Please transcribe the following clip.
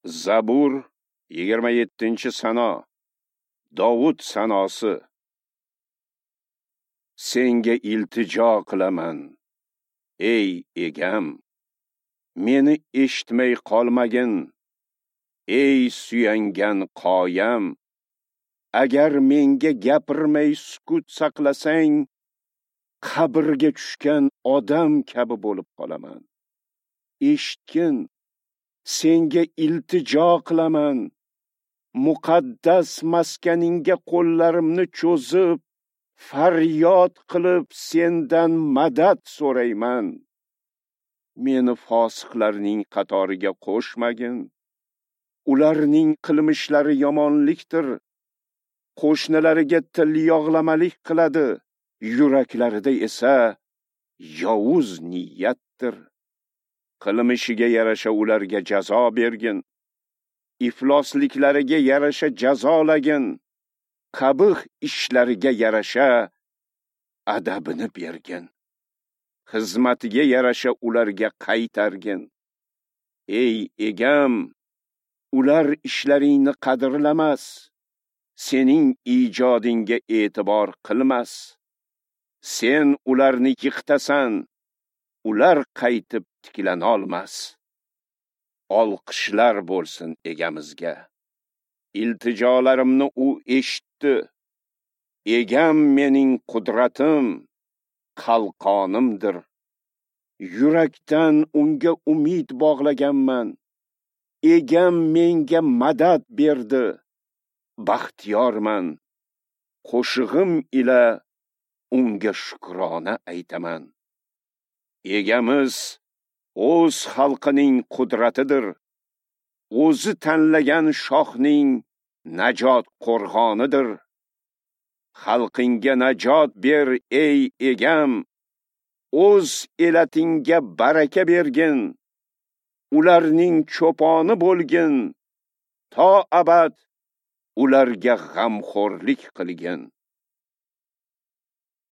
Zabur 27-sano. Dovud sanosi. Senga iltijo qilaman, ey egam, meni eshitmay qolmagin, ey suyangan qoyam. Agar menga gapirmay sukut saqlasang, qabrga tushgan odam kabi bo'lib qolaman. Eshitgin, senga iltijo qilaman. Muqaddas maskaningga qo'llarimni cho'zib, faryod qilib sendan madad so'rayman. Meni fosiqlarning qatoriga qo'shmagin. Ularning qilmishlari yomonlikdir. Qo'shnilariga til yog'lamalik qiladi, yuraklarida esa yovuz niyatdir. Qilmishiga yarasha ularga jazo bergin, iflosliklariga yarasha jazolagin, qabih ishlariga yarasha adabini bergin, xizmatiga yarasha ularga qaytargin. Ey egam, ular ishlaringni qadrlamas, sening ijodingga e'tibor qilmas. Sen ularni yiqitasan, ular qaytib tiklanolmas. Olqishlar bo'lsin egamizga. Iltijolarimni u eshitdi. Egam mening qudratim, qalqonimdir. Yurakdan unga umid bog'laganman. Egam menga madad berdi. Baxtiyorman. Qo'shig'im ila unga shukrona aytaman. Egamiz o'z xalqining qudratidir. O'zi tanlagan shohning najot qo'rg'onidir. Xalqingga najot ber, ey egam. O'z elatingga baraka bergin. Ularning cho'poni bo'lgin. To abad ularga g'amxo'rlik qilgin.